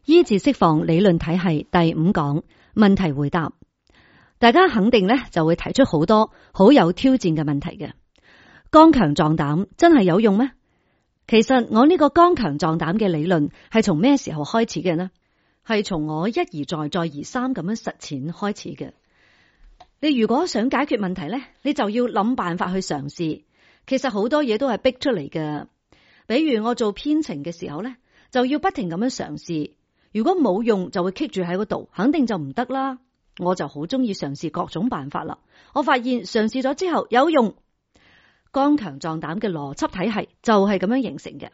醫治釋放理論體系第5講問題回答，大家肯定咧就會提出好多好有挑戰嘅問題嘅。剛強壯膽真係有用咩？其實我呢個剛強壯膽嘅理論係從咩時候開始嘅呢？係從我一而再再而三咁樣實踐開始嘅。你如果想解決問題咧，你就要諗辦法去嘗試。其實好多嘢都係逼出嚟嘅。比如我做編程嘅時候咧，就要不停咁樣嘗試。如果冇用就會棘住喺嗰度，肯定就唔得啦。我就好中意嘗試各種辦法啦。我發現嘗試咗之後有用。剛強壯膽嘅邏輯體系就係咁樣形成嘅。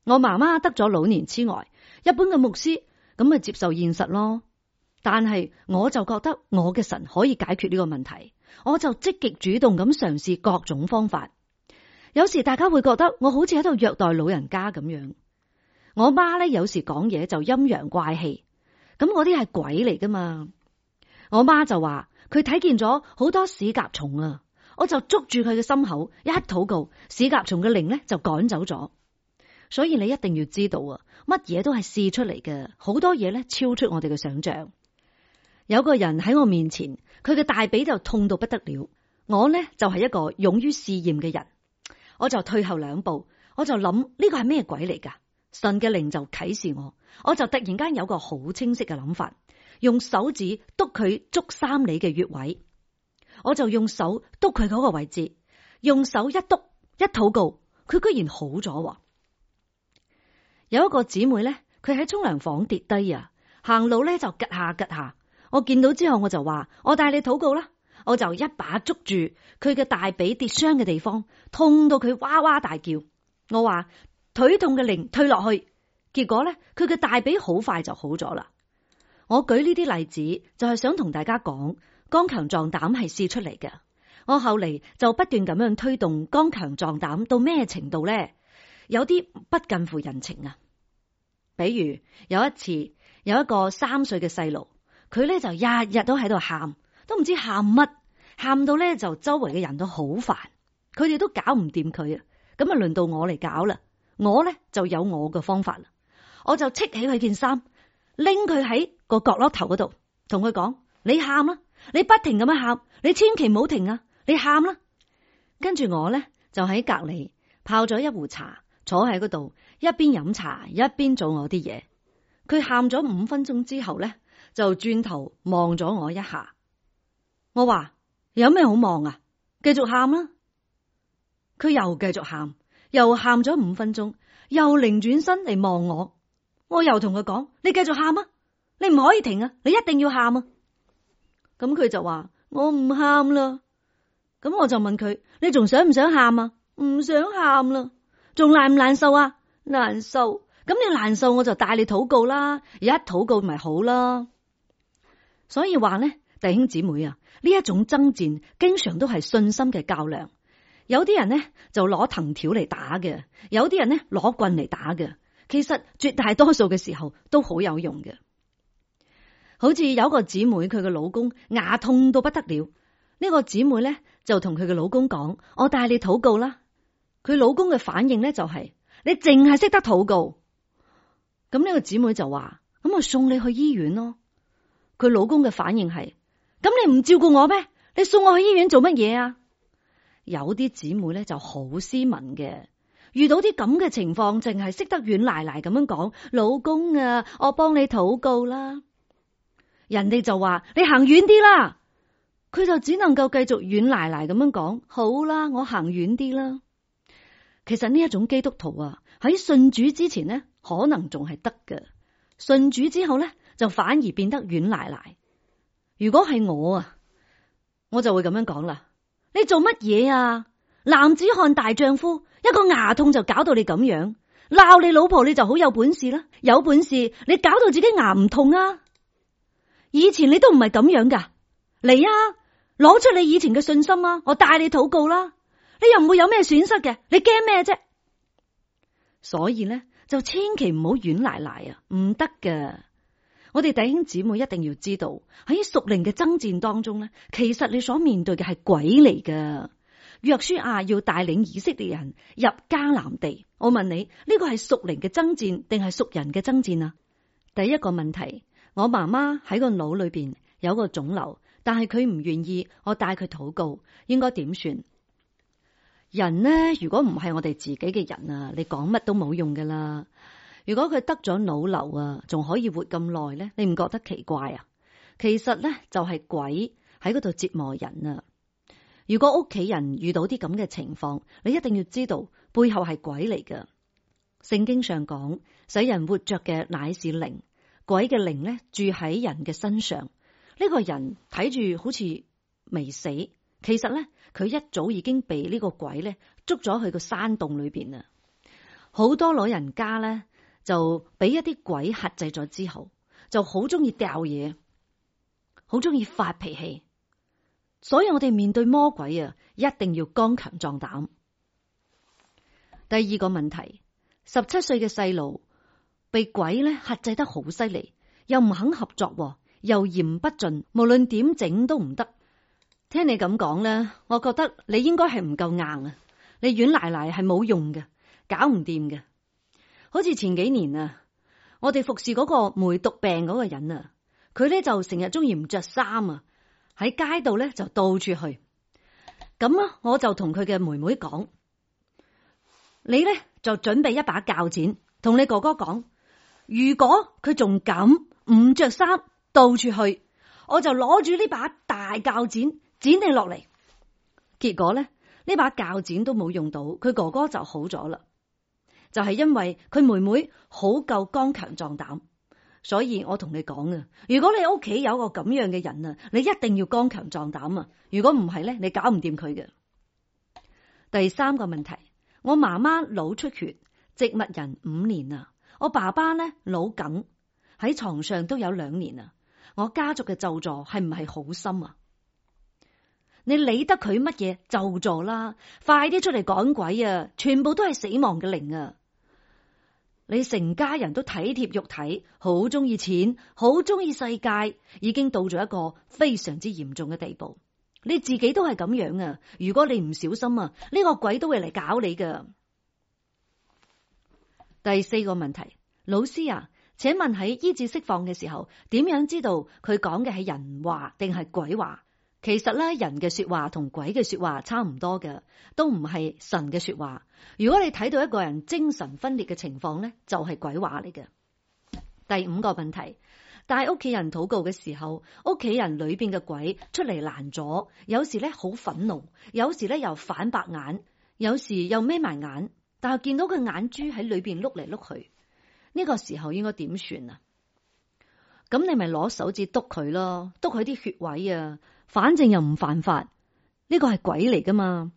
我媽媽得咗老年痴呆，一般嘅牧師咁咪接受現實咯。但係我就覺得我嘅神可以解決呢個問題，我就積極主動咁嘗試各種方法。有時大家會覺得我好似喺度虐待老人家咁樣。我媽咧有時講嘢就陰陽怪氣，咁我啲係鬼嚟噶嘛？我媽就話佢睇見咗好多屎甲蟲啊，我就捉住佢嘅心口一禱告，屎甲蟲嘅靈咧就趕走咗。所以你一定要知道啊，乜嘢都係試出嚟嘅，好多嘢咧超出我哋嘅想象。有個人喺我面前，佢嘅大髀就痛到不得了，我咧就係一個勇於試驗嘅人，我就退後2步，我就諗呢個係咩鬼嚟噶？神嘅靈就啟示我就突然間有個好清晰嘅諗法，用手指督佢足3里嘅穴位，我就用手督佢嗰個位置，用手一督一禱告，佢居然好咗。有一個姊妹咧，佢喺沖涼房跌低啊，行路咧就吉下吉下，我見到之後我就話：我帶你禱告啦！我就一把捉住佢嘅大髀跌傷嘅地方，痛到佢哇哇大叫。我話：腿痛嘅靈退落去，結果咧佢嘅大髀好快就好咗啦。我舉呢啲例子就係想同大家講，剛強壯膽係試出嚟嘅。我後嚟就不斷咁樣推動剛強壯膽到咩程度咧？有啲不近乎人情啊。比如有一次有一個3歲嘅細路，佢咧就日日都喺度喊，都唔知喊乜，喊到咧就周圍嘅人都好煩，佢哋都搞唔掂佢啊。咁啊輪到我嚟搞啦。我咧就有我嘅方法啦，我就戚起佢件衫，拎佢喺個角落頭嗰度，同佢講：你喊啦，你不停咁樣喊，你千祈唔好停啊，你喊啦。跟住我咧就喺隔籬泡咗一壺茶，坐喺嗰度一邊飲茶一邊做我啲嘢。佢喊咗5分鐘之後咧，就轉頭望咗我一下。我話：有咩好望啊？繼續喊啦。佢又繼續喊。又喊咗5分鐘，又擰轉身嚟望我。我又同佢講：你繼續喊啊，你唔可以停啊，你一定要喊啊。咁佢就話：我唔喊啦。咁我就問佢：你仲想唔想喊啊？唔想喊啦。仲難唔難受啊？難受。咁你難受，我就帶你禱告啦，一禱告咪好啦。所以話咧，弟兄姊妹啊，呢一種爭戰經常都係信心嘅較量。有啲人呢就攞藤條嚟打嘅，有啲人呢攞棍嚟打嘅。其實絕大多數嘅時候都好有用嘅。好似有個姊妹，佢嘅老公牙痛到不得了，呢個姊妹呢就同佢嘅老公講：我帶你禱告啦。佢老公嘅反應呢就係：你淨係識得禱告。咁呢個姊妹就話：咁我送你去醫院咯。佢老公嘅反應係：咁你唔照顧我咩？你送我去醫院做乜嘢啊？有啲姊妹咧就好斯文嘅，遇到啲咁嘅情況，淨係識得軟賴賴咁樣講：老公啊，我幫你禱告啦。人哋就話：你行遠啲啦。佢就只能夠繼續軟賴賴咁樣講：好啦，我行遠啲啦。其實呢一種基督徒啊，喺信主之前呢，可能仲係得嘅，信主之後呢，就反而變得軟賴賴。如果係我啊，我就會咁樣講啦。你做乜嘢啊？男子漢大丈夫，一個牙痛就搞到你咁樣，鬧你老婆你就好有本事啦。有本事你搞到自己牙唔痛啊？以前你都唔係咁樣噶，嚟啊，攞出你以前嘅信心啊，我帶你禱告啦。你又唔會有咩損失嘅，你驚咩啫？所以咧就千祈唔好軟賴賴啊，唔得㗎。我哋弟兄姊妹一定要知道，喺屬靈嘅爭戰當中咧，其實你所面對嘅係鬼嚟㗎。約書亞要帶領以色列人入迦南地，我問你，呢個係屬靈嘅爭戰定係屬人嘅爭戰啊？第一個問題，我媽媽喺個腦裏邊有個腫瘤，但係佢唔願意我帶佢禱告，應該點算？人呢，如果唔係我哋自己嘅人啊，你講乜都冇用噶啦。如果佢得咗腦瘤啊，仲可以活咁耐咧，你唔覺得奇怪啊？其實咧就係鬼喺嗰度折磨人啊！如果屋企人遇到啲咁嘅情況，你一定要知道背後係鬼嚟噶。聖經上講，使人活着嘅乃是靈，鬼嘅靈咧住喺人嘅身上。呢個人睇住好似未死，其實咧佢一早已經被呢個鬼咧捉咗去個山洞裏邊啦。好多老人家咧就俾一啲鬼轄制咗之後，就好中意掉嘢，好中意發脾氣。所以我哋面對魔鬼啊，一定要剛強壯膽。第二個問題，17歲嘅細路被鬼咧轄制得好犀利，又唔肯合作，又言不盡，無論點整都唔得。聽你咁講咧，我覺得你應該係唔夠硬啊！你軟賴賴係冇用嘅，搞唔掂嘅。好似前幾年啊，我哋服侍嗰個梅毒病嗰個人啊，佢咧就成日中意唔着衫啊。喺街度咧就到處去，咁啊我就同佢嘅妹妹講，你咧就準備一把鉸剪，同你哥哥講，如果佢仲敢唔着衫到處去，我就攞住呢把大鉸剪剪你落嚟。結果咧呢把鉸剪都冇用到，佢哥哥就好咗啦，就係因為佢妹妹好夠剛強壯膽。所以我同你講啊，如果你屋企有個咁樣嘅人啊，你一定要剛強壯膽啊！如果唔係咧，你搞唔掂佢嘅。第三個問題，我媽媽腦出血，植物人5年啊，我爸爸咧腦梗喺床上都有2年啊，我家族嘅咒詛係唔係好深啊？你理得佢乜嘢咒詛啦？快啲出嚟趕鬼啊！全部都係死亡嘅靈啊！你成家人都體貼肉體，好中意錢，好中意世界，已經到咗一個非常之嚴重嘅地步。你自己都係咁樣啊！如果你唔小心啊，呢個鬼都會嚟搞你噶。第4個問題，老師啊，請問喺醫治釋放嘅時候，點樣知道佢講嘅係人話定係鬼話？其實咧，人嘅說話同鬼嘅說話差唔多嘅，都唔係神嘅說話。如果你睇到一個人精神分裂嘅情況咧，就係鬼話嚟嘅。第5個問題，帶屋企人禱告嘅時候，屋企人裏邊嘅鬼出嚟攔阻，有時咧好憤怒，有時咧又反白眼，有時又眯埋眼，但係見到佢眼珠喺裏邊碌嚟碌去，呢個時候應該點算啊？咁你咪攞手指篤佢咯，篤佢啲血位啊，反正又唔犯法，呢個係鬼嚟噶嘛。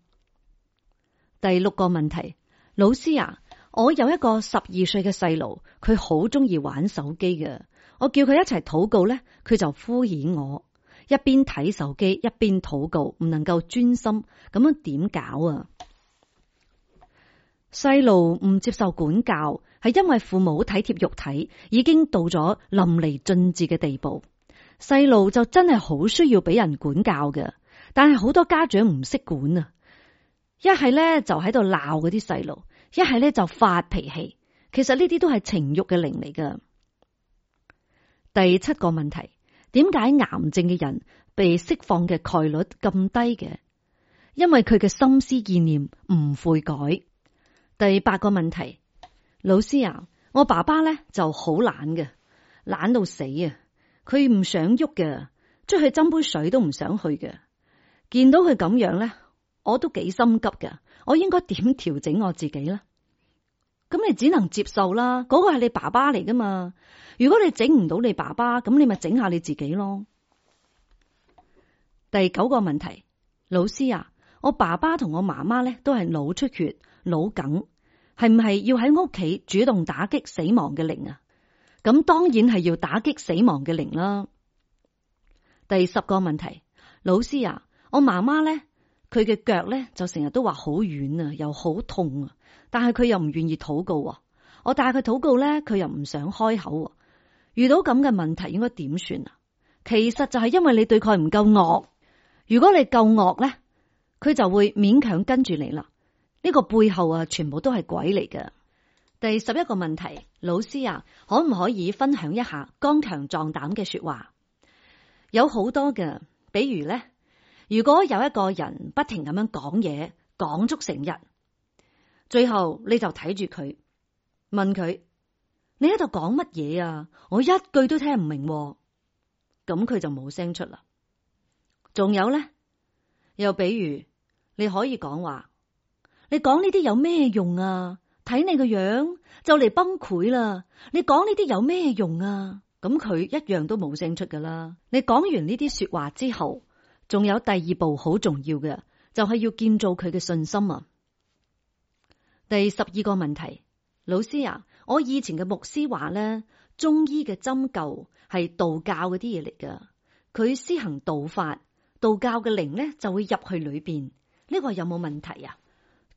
第6個問題，老師啊，我有一個12歲嘅細路，佢好中意玩手機嘅，我叫佢一齊禱告咧，佢就敷衍我，一邊睇手機一邊禱告，唔能夠專心，咁樣點搞啊？細路唔接受管教，係因為父母體貼肉體，已經到咗淋漓盡致嘅地步。細路就真係好需要俾人管教嘅，但係好多家長唔識管啊！一係咧就喺度鬧嗰啲細路，一係咧就發脾氣。其實呢啲都係情欲嘅靈嚟噶。第7個問題，點解癌症嘅人被釋放嘅概率咁低嘅？因為佢嘅心思意念唔悔改。第8個問題，老師啊，我爸爸咧就好懶嘅，懶到死啊！佢唔想喐嘅，出去斟杯水都唔想去嘅。見到佢咁樣咧，我都幾心急嘅。我應該點調整我自己咧？咁你只能接受啦，嗰個係你爸爸嚟噶嘛。如果你整唔到你爸爸，咁你咪整下你自己咯。第9個問題，老師啊，我爸爸同我媽媽咧都係腦出血、腦梗，係唔係要喺屋企主動打擊死亡嘅靈啊？咁當然係要打擊死亡嘅靈啦。第10個問題，老師啊，我媽媽咧，佢嘅腳咧就成日都話好軟啊，又好痛啊，但係佢又唔願意禱告啊。我帶佢禱告咧，佢又唔想開口啊。遇到咁嘅問題應該點算啊？其實就係因為你對佢唔夠惡。如果你夠惡咧，佢就會勉強跟住你啦。呢個背後啊，全部都係鬼嚟嘅。第11個問題，老師啊，可唔可以分享一下剛強壯膽嘅說話？有好多嘅，比如咧，如果有一個人不停咁樣講嘢，講足成日，最後你就睇住佢，問佢：你喺度講乜嘢啊？我一句都聽唔明喎。咁佢就冇聲出啦。仲有咧，又比如你可以講話：你講呢啲有咩用啊？睇你個樣就嚟崩潰啦！你講呢啲有咩用啊？咁佢一樣都冇聲出噶啦。你講完呢啲說話之後，仲有第二步好重要嘅，就係要建造佢嘅信心啊。第12個問題，老師啊，我以前嘅牧師話咧，中醫嘅針灸係道教嗰啲嘢嚟噶，佢施行道法，道教嘅靈咧就會入去裏邊，呢個有冇問題啊？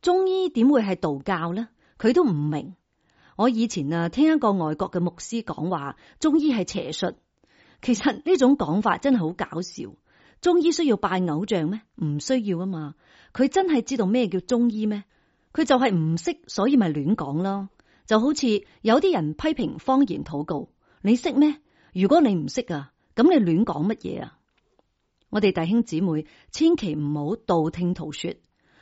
中醫點會係道教呢？佢都唔明。我以前聽一個外國嘅牧師講話，中醫係邪術。其實呢種講法真係好搞笑。中醫需要拜偶像咩？唔需要啊嘛。佢真係知道咩叫中醫咩？佢就係唔識，所以咪亂講咯。就好似有啲人批評方言禱告，你識咩？如果你唔識啊，咁你亂講乜嘢啊？我哋弟兄姊妹千祈唔好道聽途說。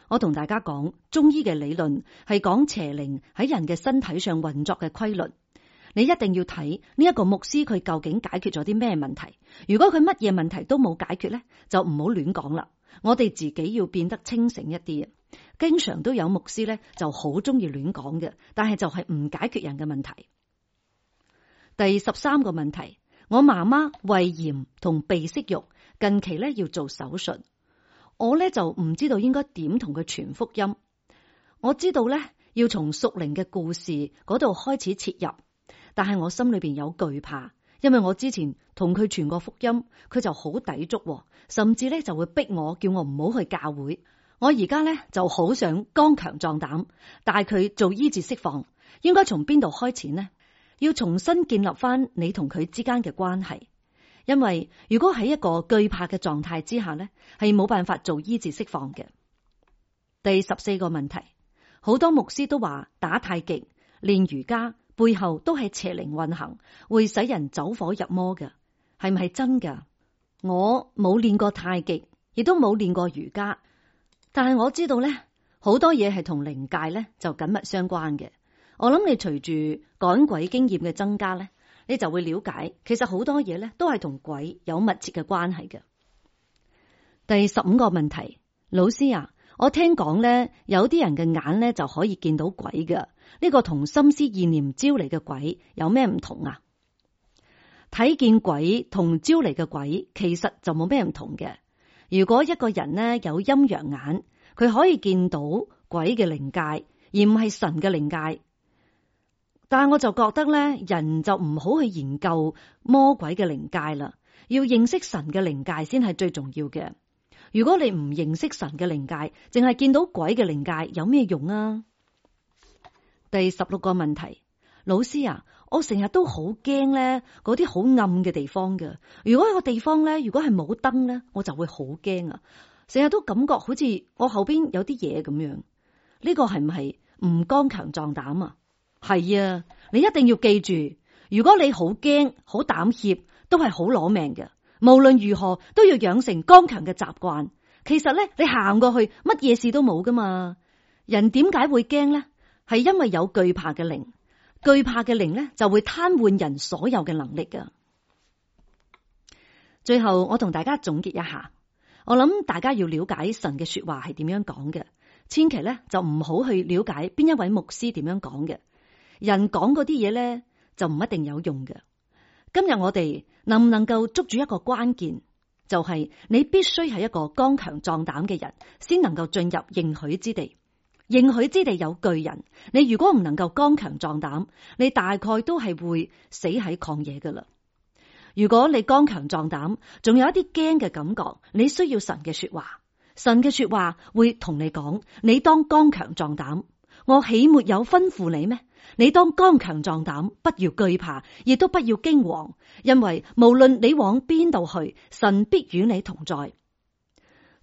我同大家講，中醫嘅理論係講邪靈喺人嘅身體上運作嘅規律。你一定要睇呢一個牧師佢究竟解決咗啲咩問題。如果佢乜嘢問題都冇解決咧，就唔好亂講啦。我哋自己要變得清醒一啲。經常都有牧師咧就好中意亂講嘅，但係就係唔解決人嘅問題。第13個問題，我媽媽胃炎同鼻息肉，近期咧要做手術。我咧就唔知道應該點同佢傳福音。我知道咧要從屬靈嘅故事嗰度開始切入，但係我心裏邊有懼怕，因為我之前同佢傳過福音，佢就好抵觸，甚至咧就會逼我，叫我唔好去教會。我而家咧就好想剛強壯膽，帶佢做醫治釋放。應該從邊度開始呢？要重新建立翻你同佢之間嘅關係。因為如果喺一個懼怕嘅狀態之下呢，係冇辦法做醫治釋放嘅。第14個問題，好多牧師都話打太極、練瑜伽背後都係邪靈運行，會使人走火入魔嘅，係唔係真噶？我冇練過太極，亦都冇練過瑜伽，但係我知道呢，好多嘢係同靈界呢就緊密相關嘅。我諗你隨住趕鬼經驗嘅增加呢，你就會了解，其實好多嘢咧都係同鬼有密切嘅關係嘅。第15個問題，老師啊，我聽講咧，有啲人嘅眼咧就可以見到鬼嘅，呢個同心思意念招嚟嘅鬼有咩唔同啊？睇見鬼同招嚟嘅鬼其實就冇咩唔同嘅。如果一個人咧有陰陽眼，佢可以見到鬼嘅靈界，而唔係神嘅靈界。但係我就覺得咧，人就唔好去研究魔鬼嘅靈界啦，要認識神嘅靈界先係最重要嘅。如果你唔認識神嘅靈界，淨係見到鬼嘅靈界，有咩用啊？第16個問題，老師啊，我成日都好驚咧，嗰啲好暗嘅地方嘅。如果一個地方咧，如果係冇燈咧，我就會好驚啊！成日都感覺好似我後邊有啲嘢咁樣。呢個係唔係唔剛強壯膽啊？係啊，你一定要記住，如果你好驚、好膽怯，都係好攞命嘅。無論如何都要養成剛強嘅習慣。其實咧，你行過去，乜嘢事都冇噶嘛。人點解會驚咧？係因為有懼怕嘅靈，懼怕嘅靈咧就會癱瘓人所有嘅能力噶。最後，我同大家總結一下，我諗大家要了解神嘅說話係點樣講嘅，千祈咧就唔好去了解邊一位牧師點樣講嘅。人講嗰啲嘢咧就唔一定有用嘅。今日我哋能唔能夠捉住一個關鍵，就係你必須係一個剛強壯膽嘅人，先能夠進入應許之地。應許之地有巨人，你如果唔能夠剛強壯膽，你大概都係會死喺曠野噶啦。如果你剛強壯膽，仲有一啲驚嘅感覺，你需要神嘅說話。神嘅說話會同你講，你當剛強壯膽。我豈沒有吩咐你咩？你當剛強壯膽，不要懼怕，亦都不要驚惶，因為無論你往邊度去，神必與你同在。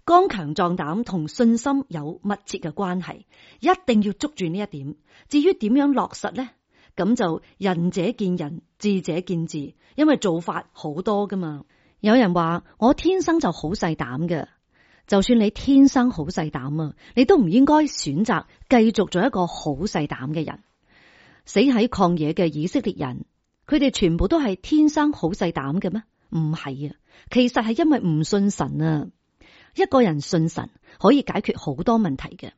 剛強壯膽同信心有密切嘅關係，一定要捉住呢一點。至於點樣落實呢？咁就仁者見仁，智者見智，因為做法好多噶嘛。有人話我天生就好細膽嘅，就算你天生好細膽啊，你都唔應該選擇繼續做一個好細膽嘅人。死喺曠野嘅以色列人，佢哋全部都係天生好細膽嘅咩？唔係啊，其實係因為唔信神啊。一個人信神可以解決好多問題嘅，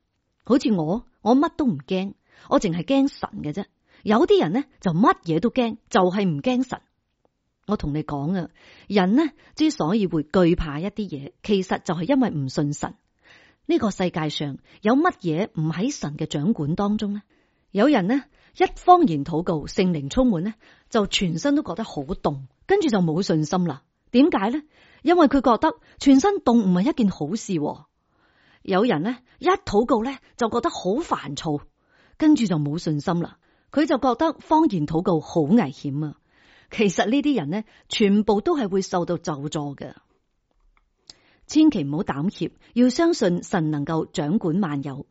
好似我乜都唔驚，我淨係驚神嘅啫。有啲人呢就乜嘢都驚，就係唔驚神。我同你講啊，人呢之所以會懼怕一啲嘢，其實就係因為唔信神。呢個世界上有乜嘢唔喺神嘅掌管當中呢？有人呢一方言禱告，聖靈充滿呢，就全身都覺得好凍，跟住就冇信心啦。點解呢？因為佢覺得全身凍唔係一件好事。有人呢一禱告呢就覺得好煩躁，跟住就冇信心啦。佢就覺得方言禱告好危險啊。其實呢啲人呢，全部都係會受到咒詛嘅。千祈唔好膽怯，要相信神能夠掌管萬有。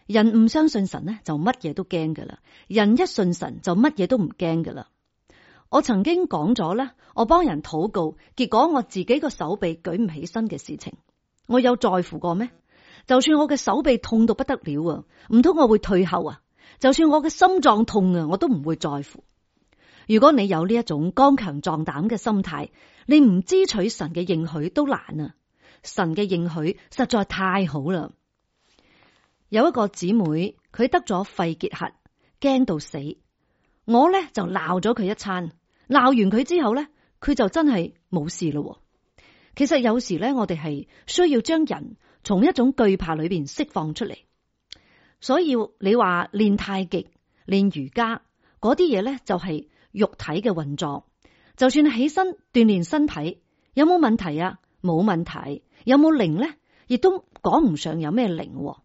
人唔相信神呢，就乜嘢都驚噶啦。人一信神，就乜嘢都唔驚噶啦。我曾經講咗咧，我幫人禱告，結果我自己個手臂舉唔起身嘅事情，我有在乎過咩？就算我嘅手臂痛到不得了啊，唔通我會退後啊？就算我嘅心臟痛啊，我都唔會在乎。如果你有呢一種剛強壯膽嘅心態，你唔支取神嘅應許都難啊！神嘅應許實在太好啦。有一個姊妹，佢得咗肺結核，驚到死。我咧就鬧咗佢一餐，鬧完佢之後咧，佢就真係冇事咯。其實有時咧，我哋係需要將人從一種懼怕裏邊釋放出嚟。所以你話練太極、練瑜伽嗰啲嘢咧，就係肉體嘅運作。就算起身鍛煉身體，有冇問題啊？冇問題。有冇靈咧？亦都講唔上有咩靈。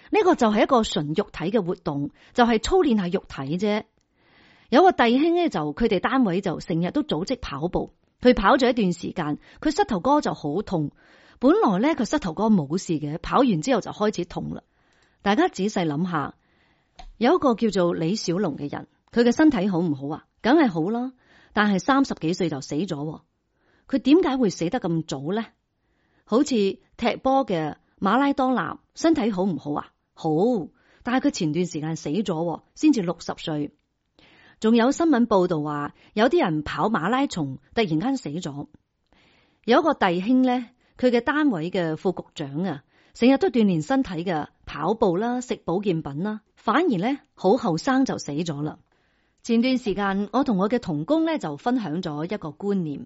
呢個就係一個純肉體嘅活動，就係操練下肉體啫。有個弟兄咧，就佢哋單位就成日都組織跑步，佢跑咗一段時間，佢膝頭哥就好痛。本來咧佢膝頭哥冇事嘅，跑完之後就開始痛啦。大家仔細諗下，有一個叫做李小龍嘅人，佢嘅身體好唔好啊？梗係好啦，但係30幾歲就死咗。佢點解會死得咁早咧？好似踢波嘅馬拉多納，身體好唔好啊？好，但係佢前段時間死咗，先至60歲。仲有新聞報道話，有啲人跑馬拉松突然間死咗。有一個弟兄咧，佢嘅單位嘅副局長啊，成日都鍛煉身體嘅，跑步啦，食保健品啦，反而咧好後生就死咗啦。前段時間我同我嘅同工咧就分享咗一個觀念，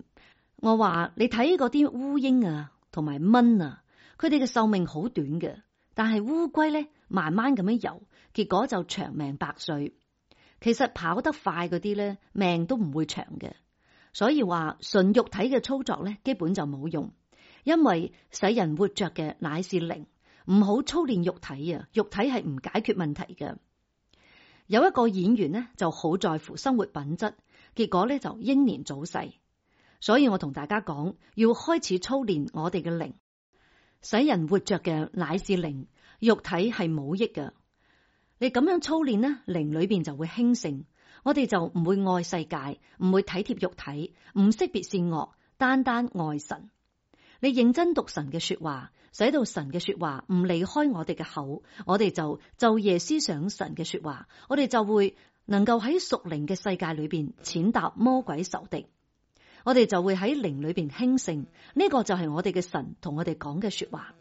我話你睇嗰啲烏蠅啊同埋蚊啊，佢哋嘅壽命好短嘅，但係烏龜咧慢慢咁樣游，結果就長命百歲。其實跑得快嗰啲咧，命都唔會長嘅。所以話純肉體嘅操作咧，基本就冇用，因為使人活着嘅乃是靈，唔好操練肉體啊！肉體係唔解決問題嘅。有一個演員呢就好在乎生活品質，結果咧就英年早逝。所以我同大家講，要開始操練我哋嘅靈，使人活着嘅乃是靈，肉體係冇益嘅。你咁樣操練呢，靈裏邊就會興盛，我哋就唔會愛世界，唔會體貼肉體，唔識別善惡，單單愛神。你認真讀神嘅說話，使到神嘅說話唔離開我哋嘅口，我哋就晝夜思想神嘅說話，我哋就會能夠喺屬靈嘅世界裏邊踐踏魔鬼仇敵，我哋就會喺靈裏邊興盛。呢個就係我哋嘅神同我哋講嘅說話。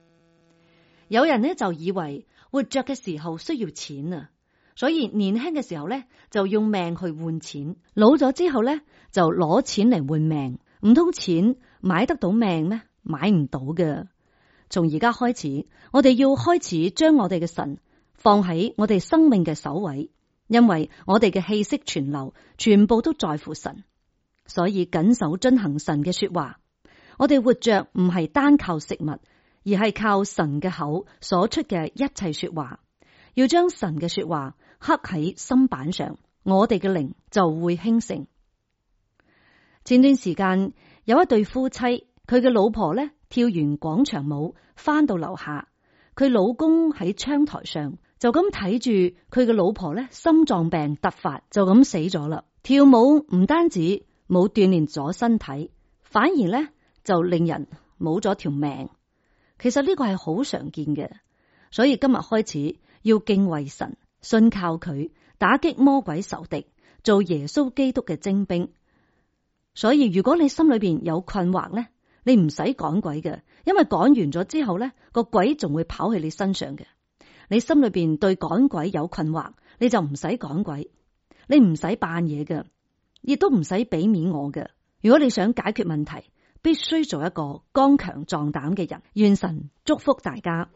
有人呢就以為活着嘅時候需要錢啊，所以年輕嘅時候呢就用命去換錢，老咗之後呢就攞錢嚟換命。唔通錢買得到命咩？買唔到嘅。從而家開始，我哋要開始將我哋嘅神放喺我哋生命嘅首位，因為我哋嘅氣息存留全部都在乎神，所以謹守遵行神嘅說話。我哋活着唔係單靠食物，而係靠神嘅口所出嘅一切說話。要將神嘅說話刻喺心板上，我哋嘅靈就會興盛。前段時間有一對夫妻，佢嘅老婆咧跳完廣場舞翻到樓下，佢老公喺窗台上就咁睇住佢嘅老婆咧，心臟病突發就咁死咗啦。跳舞唔單止冇鍛煉咗身體，反而咧就令人冇咗條命。其實呢個係好常見嘅，所以今日開始要敬畏神，信靠佢，打擊魔鬼仇敵，做耶穌基督嘅精兵。所以如果你心裏邊有困惑咧，你唔使趕鬼嘅，因為趕完咗之後咧，個鬼仲會跑去你身上嘅。你心裏邊對趕鬼有困惑，你就唔使趕鬼，你唔使扮嘢嘅，亦都唔使俾面我嘅。如果你想解決問題，必須做一個剛強壯膽嘅人。願神祝福大家。